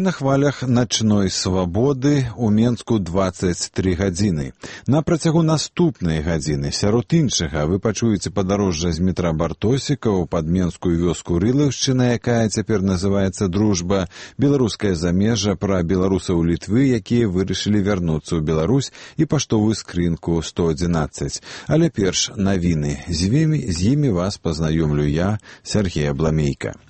на хвалях начной свабоды у Менску 23 гадзіны. На працягу наступнай гадзіны сярод іншага вы пачуеце падарожжа з метра Бартосікаў пад менскую вёску Рылаўшчына, якая цяпер называецца Дружба, беларускае замежжа пра беларусаў Літвы, якія вырашылі вярнуцца ў Беларусь, і паштовую скрынку 111. Але перш навіны. З імі вас пазнаёмлю я, Сергей Абламейка.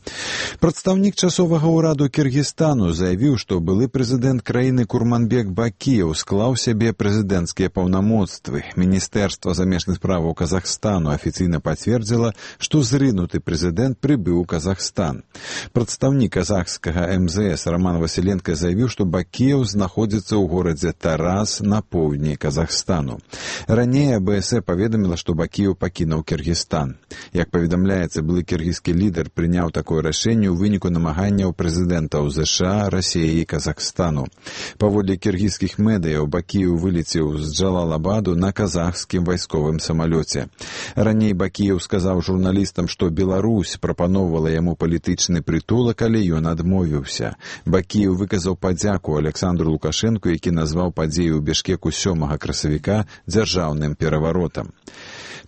Прадстаўнік часовага ўраду Кіргізстану заявіў, што былы прэзідэнт краіны Курманбек Бакіеў склаў сябе прэзідэнцкія паўнамоцтвы. Міністэрства замежных справаў Казахстану афіцыйна пацвердзіла, што зрынуты прэзідэнт прыбыў у Казахстан. Прадстаўнік казахскага МЗС Роман Васіленка заявіў, што Бакіеў знаходзіцца ў горадзе Тарас на поўдні Казахстану. Раней АБС паведаміла, што Бакіеў пакінуў Кіргізстан. Як паведамляецца, былы кіргізскі лідар прыняў такое рашэнне ў выніку намаганняў прэзідэнтаў ЗША, Расіі і Казахстану. Паводле кіргізскіх медыяў, Бакіеў вылецеў з Джалалабаду на казахскім вайсковым самалёце. Раней Бакіеў сказаў журналістам, што Беларусь прапаноўвала яму палітычны прытулак, але ён адмовіўся. Бакіеў выказаў падзяку Александру Лукашэнку, які назваў падзею ў Бішкеку 7 красавіка дзяржаўным пераваротам.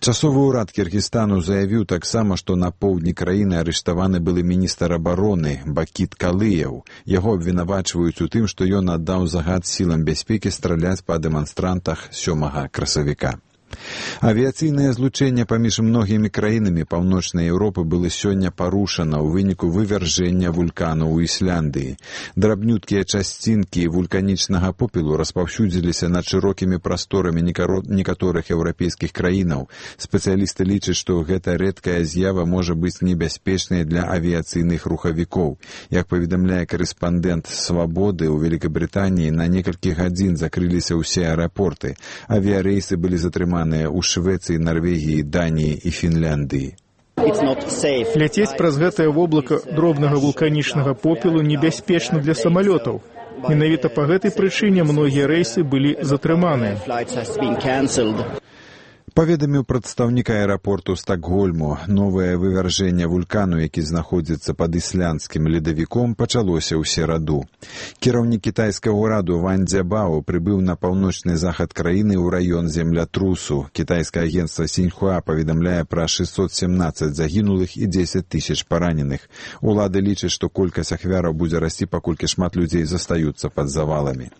Часовы ўрад Кіргізстану заявіў таксама, што на поўдні краіны арыштаваны былы міністр абароны Бакіт Калыяў. Яго абвінавачваюць у тым, што ён аддаў загад сілам бяспекі страляць па дэманстрантах 7 красавіка. Авіяцыйнае злучэнне паміж многімі краінамі Паўночнай Еўропы было сёння парушана ў выніку вывяржэння вулкану ў Ісляндыі. Драбнюткія часцінкі вулканічнага попелу распаўсюдзіліся над шырокімі прасторамі некаторых еўрапейскіх краінаў. Спецыялісты лічаць, што гэта рэдкая з'ява можа быць небяспечнай для авіяцыйных рухавікоў. Як паведамляе карэспандэнт «Свабоды», у Великабрытаніі на некалькі гадзін закрыліся ўсе аэрапорты. Авіярэйсы былі затрыманы у Швецыі, Нарвегіі, Даніі і Фінляндыі. Ляцець праз гэтае воблака дробнага вулканічнага попелу небяспечна для самалётаў. Менавіта па гэтай прычыне многія рэйсы былі затрыманыя. Паведаміў прадстаўнік аэрапорту Стакгольму. Новае вывяржэнне вулкану, які знаходзіцца пад ісландскім ледавіком, пачалося ў сераду. Кіраўнік кітайскага ўраду Ван Дзябао прыбыў на паўночны захад краіны ў раён землятрусу. Кітайскае агенцтва Сіньхуа паведамляе пра 617 загінулых і 10 000 параненых. Улады лічаць, што колькасць ахвяраў будзе расці, паколькі шмат людзей застаюцца пад заваламі.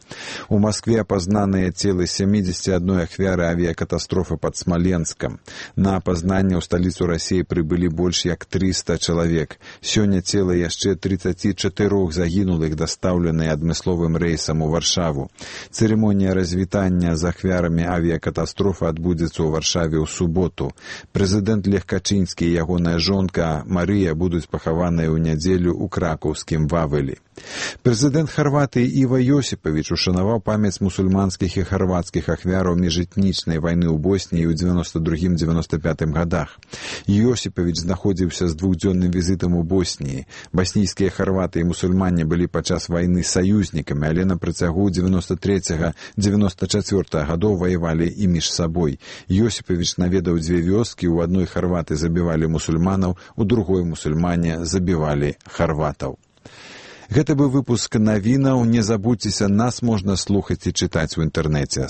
У Маскве апазнаныя целы 71 ахвяры авіякатастрофы пад Смоленскам. На апазнанне ў сталіцу Расіі прыбылі больш як 300 чалавек. Сёння цела яшчэ 34 загінулых дастаўленыя адмысловым рэйсам у Варшаву. Цырымонія развітання з ахвярамі авіякатастрофы адбудзецца ў Варшаве ў суботу. Прэзідэнт Лех Качынскі і ягоная жонка Марыя будуць пахаваныя ў нядзелю ў кракаўскім Вавелі. Прэзідэнт Харватыі Іва Йосіпавіч ушанаваў памяць мусульманскіх і харвацкіх ахвяраў міжэтнічнай вайны ў Босніі ў 92-95 гадах. Йосіпавіч знаходзіўся з двухдзённым візітам у Босніі. Баснійскія харваты і мусульмане былі падчас вайны саюзнікамі, але на працягу 93-94 гадоў ваявалі і між сабой. Йосіпавіч наведаў 2 вёскі, у адной харваты забівалі мусульманаў, у другой мусульмане забівалі харватаў. Гэта быў выпуск навінаў. Не забудзьцеся, нас можна слухаць і чытаць у інтэрнэце.